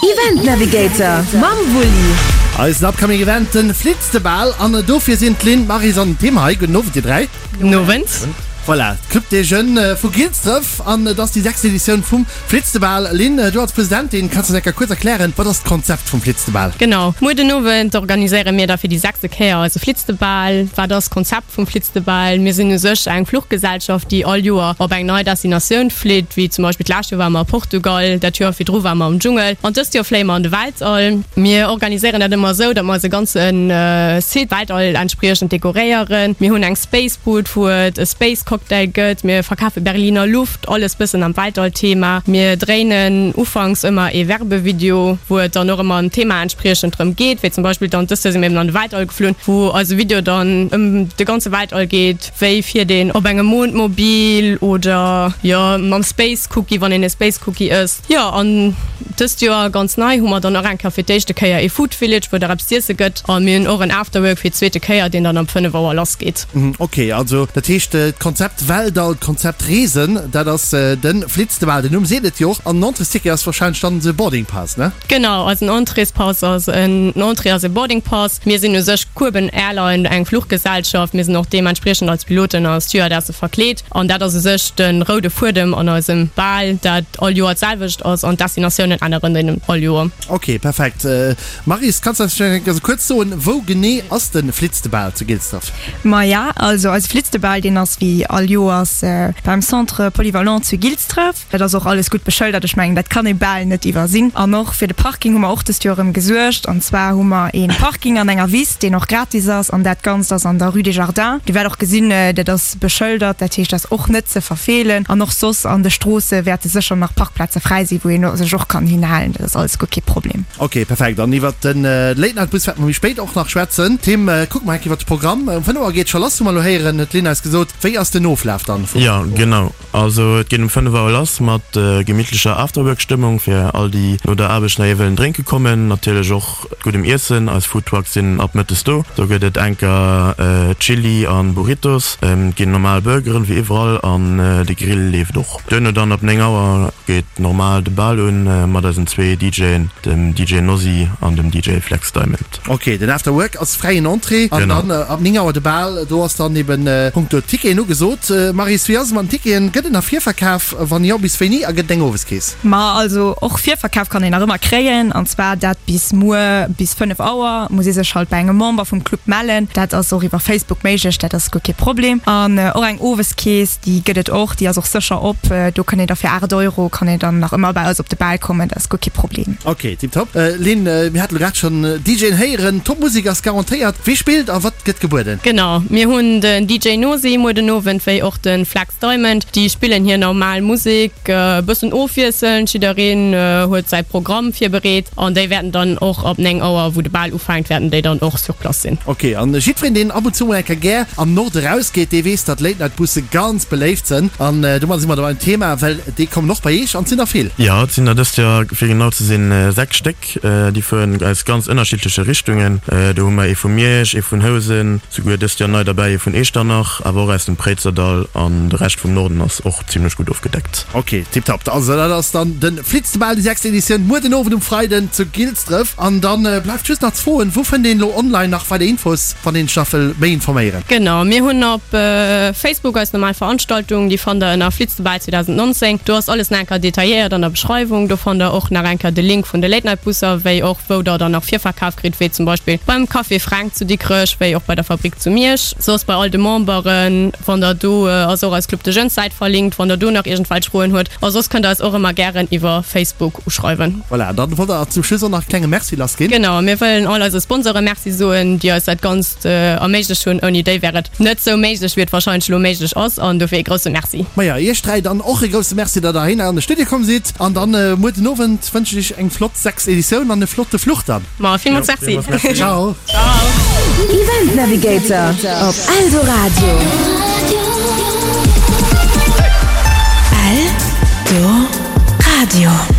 Event Navigator mam Wulli. Eisen upcoming Event, den Flitztebal an dofir sinn d'Lynn, d'Maryse an den Tim hei. Gudden Owend dir 3. Gudden Owend. Voilà, d'Club des Jeunes vu Gilsdref an et ass déi sechst Editioun vum Flitztebal. Lynn, du als Presidentin, kanns du eis eng Kéier kuerz erklären, wat ass d'Konzept vum Flitztebal? Genau, muer den Owend organiséiere mir da fir déi sechste Kéier eise Flitztebal. Wat ass d'Konzept vum Flitztebal? Mir sinn u sech eng Fluchgesellschaft, déi all Joer op eng nei Destinatioun flitt, wéi zum Beispill d'lescht Joer ware mer a Portugal, dat Joer virdru ware mer am Dschungel an dëst Joer fléie mer an de Weltall. Mir organiséieren dat ëmmer esou, datt mer eise ganze Site Weltall entspriechend dekoréieren. Mir hunn eng Space Booth, wou et e Space Cocktail gëtt. Mir verkafe Berliner Luft, alles bëssen am Weltall-Thema. Mir dréinen ufanks ëmmer ee Werbevideo, wou et dann och ëmmer ëm d'Thema entspriechend drëm geet, wéi zum Beispill dann dëst Joer si mir eben an de Weltall geflunn, wou eise Video dann ëm de ganze Weltall geet, wéi fiert een op engem Mondmobil oder jo mam Space Cookie, wann een e Space Cookie ësst. Jo, an dëst Joer ganz nei hu mer dann och eng Kéier fir d'éischte Kéier ee Food Village, wou et och eppes z'iesse gëtt. A mir hunn och en Afterwork fir d'zweete Kéier, deen dann ab 5 Auer lass geet. Ok, also dat heescht d'Konzept Weltall, d'Konzept Reesen, dat ass de Flitztebal, den Numm seet et jo och. An den Entréesticket ass warscheinlech dann de Boarding Pass, ne? Genau, eisen Entréespass ass en Entrée ass e Boarding Pass. Mir sinn u sech Kueben Airline, eng Fluchgesellschaft. Mir sinn och deementspriechend als Piloten a Stewardesse verkleet. An dat ass u sech de roude Fuedem an eisem Bal, dat all Joer d'selwecht ass an d'Destinatiounen änneren den all Joer. Ok, perfekt. Maryse, kanns de eis vläicht eng Kéier kuerz soen, wou genee ass de Flitztebal zu Gilsdref? Maja, also eise Flitztebal, deen ass wéi all Joers beim Centre Polyvalent zu Gilsdref. Dat ass och alles gutt beschëldert, ech mengen, dat kann ee bal net iwwersinn. An och fir de Parking hu mer och dëst Joer erëm gesuergt. An zwar hu mer ee Parking an enger Wiss, deen och gratis ass. An dat Ganzt ass an der Rue des Jardins. Dir wäert och gesinn, dat ass beschëldert, dat heescht, dat ass och net ze verfeelen. An och soss an de Stroosse wäerte sécher nach Parkplaze fräi sinn, wou ee sech och kann hinhalen. Dat ass alles guer kee Problem. Ok, perfekt. An iwwert de Late Night Bus wäerte mer méi spéit och nach schwätzen. Tim, kucke mer eng Kéier iwwert de Programm. Um 5 Auer geet et scho lass, hu mer elo héieren, huet d'Lynn eis gesot. Wéi ass den Oflaf dann vum. Jo, genau. Also et geet um 5 Auer lass mat gemittlecher Afterwork-Stëmmung fir all déi no der Aarbecht nach ee wëllen drénke kommen. Natierlech och guddem Iessen, eis Foodtrucks sinn ab mëttes do. Do gëtt et enker Chili an Burritos, et ginn normal Burgeren wéi iwwerall an de Grill leeft och. Duerno dann ab 9 Auer geet normal de Bal un mat eisen zwee DJen, dem DJ Nosy an dem DJ Flex Diamond. Ok, den After Work ass fräien Entrée an dann ab 9 Auer de Bal. Do ass dann eben punkto Ticketen ugesot. Maryse, wéi ass et mat den Ticketen? Gëtt et nach Virverkaf? Wann jo, bis wéini? A gëtt et eng Oweskeess? Ma also och Virverkaf kann een nach ëmmer kréien an zwar dat bis muer bis 5 Auer. Muss ee sech halt bei engem Member vum Club mellen. Dat ass och iwwer Facebook méiglech, dat ass guer kee Problem. An och eng Oweskeess, déi gëtt et och, déi ass och sécher op. Do kënnt een da fir 8 Euro kann een dann nach ëmmer bei eis op de Bal kommen, dat ass guer kee Problem. Ok, tiptop. Lynn, mir hate lo grad schonn DJen héieren, top Musek ass garantéiert. Wie spillt a wat gëtt gebueden? Genau, mir hunn den DJ Nosi muer den Owend, wéi och de Flex Diamond. Déi spillen hir normal Musek, e bëssen ofwiesselnd, jiddereen huet säi Programm virbereet an déi wäerten dann och ab 9 Auer, wou de Bal ufänkt, wäerten déi dann och sur place sinn. Ok, an jiddwereen deen ab und zu mol eng Kéier gär am Norde rausgeet, dee weess, datt Late Night Busse ganz beléift sënn. An domadder si mer da beim Thema, well Déi kommen och bei Eech an et sinn der vill. Jo, et sinn der dëst Joer, fir genau ze sinn, 6 Stéck. Déi fueren aus ganz ënnerschiddleche Richtungen. Do hu mer ee vu Miersch, ee vun Housen, souguer dëst Joer nei derbäi ee vun Eechternach, awer och aus dem Préizerdall an de Rescht vum Norden ass och zimmlech gutt ofgedeckt. Ok, tiptop. Also dat ass dann de Flitztebal, déi sechst Editioun, muer den Owend um Freiden zu Gilsdref. An dann bleift just nach ze froen, wou fënnt een elo online nach weider Infos, wann een sech nach wëll méi informéieren? Genau, mir hunn op Facebook eis normal Veranstaltung, déi fannt der ënner Flitztebal 2019. Do ass alles nach eng Kéier detailléiert an der Beschreiwung. Do fannt der och nach eng Kéier de Link vun de Late Night Busser, wéi och wou der dann nach Virverkaf kritt, wéi zum Beispill beim Café Fränk zu Dikrech, wéi och bei der Fabrik zu Miersch, soss bei all de Memberen. Wann der do ass och eis Club de Jeunes Säit verlinkt, wann der do nach iergendwelch Froen huet. A soss kënnt der eis och ëmmer gären iwwer Facebook uschreiwen. Voilà, dann wollt der zum Schluss och nach e klenge Merci lass ginn. Genau, mir wëllen all eise Sponsore Merci soen, déi eis dat Ganzt erméiglecht hunn. Ouni déi wär et net sou méiglech, wéi et warscheinlech elo méiglech ass. An dofir ee grousse Merci. Maja, iech 3 dann och e grousse Merci, datt der heihinner an de Studio komm sidd. An dann muer den Owend wënschen ech iech eng flott 6. Editioun an e flotte Fluch dann. Ma villmools Merci. Ciao. Event Navigator op Eldoradio. Eldoradio.